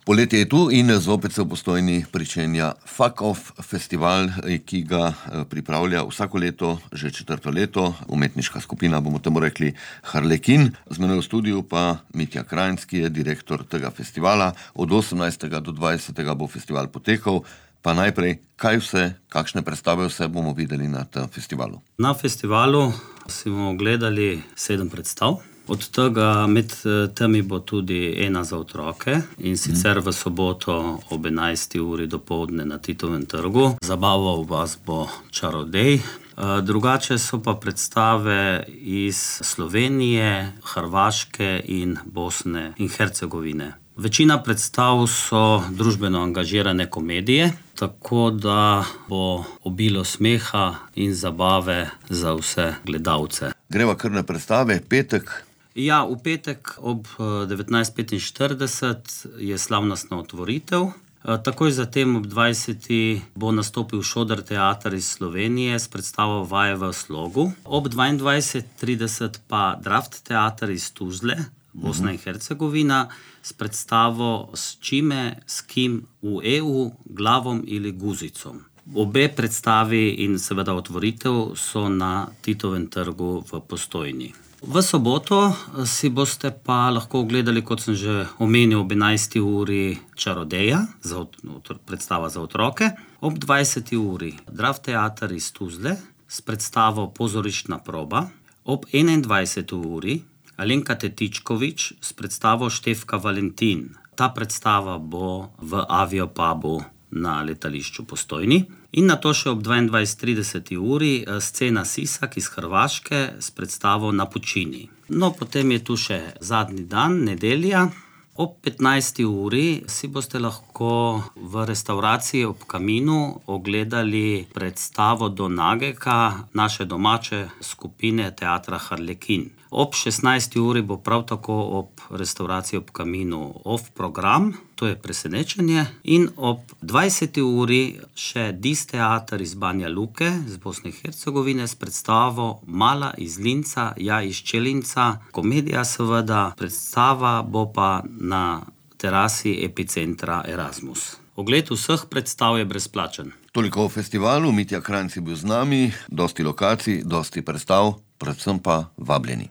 Poletje je tu in zopet se v Postojni pričenja Fuck Off festival, ki ga pripravlja vsako leto, že 4. leto, umetniška skupina, bomo temu rekli Harlekin. Z menoj v studiu pa Mitja Krajnc, ki je direktor tega festivala. Od 18. do 20. bo festival potekal. Pa najprej, kaj vse, kakšne predstave vse bomo videli na tem festivalu? Na festivalu si bomo gledali 7 predstav. Od tega med temi bo tudi ena za otroke, in sicer v soboto ob 11. uri dopoldne na Titovem trgu. Zabaval vas bo Čarodej. Drugače so pa predstave iz Slovenije, Hrvaške in Bosne in Hercegovine. Večina predstav so družbeno angažirane komedije, tako da bo obilo smeha in zabave za vse gledalce. Greva kar na predstave, petek. Ja, v petek ob 19:45 je slavnostna otvoritev. Takoj zatem ob 20. bo nastopil Šodr teater iz Slovenije s predstavo Vaje v slogu. Ob 22:30 pa Draft teater iz Tuzle, Bosna in Hercegovina, s predstavo S čime, s kim v EU, glavom ili guzicom. Obe predstavi in seveda otvoritev so na Titovem trgu v Postojni. V soboto si boste pa lahko ogledali, kot sem že omenil, ob 11. uri Čarodeja, predstava za otroke. Ob 20. uri Draft teater iz Tuzle s predstavo Pozorišna proba. Ob 21. uri Alenka Tetičkovič s predstavo Štefka Valentin. Ta predstava bo v Aviopubu na letališču Postojni. In nato še ob 22:30 uri scena Sisak iz Hrvaške s predstavo Na pučini. No, potem je tu še zadnji dan, nedelja. Ob 15. uri si boste lahko v restavraciji Ob kaminu ogledali predstavo Do Nageka naše domače skupine teatra Harlekin. Ob 16. uri bo prav tako ob restavraciji Ob kaminu off program, to je Presenečenje. In ob 20. uri še Dis teater iz Banja Luke, z Bosne in Hercegovine, s predstavo Mala iz Linca, ja iz Čelinca. Komedija seveda, predstava bo pa na terasi Epicentra Erasmus. Ogled vseh predstav je brezplačen. Toliko o festivalu, Mitja Krajnc je bil z nami, dosti lokacij, dosti predstav, predvsem pa vabljeni.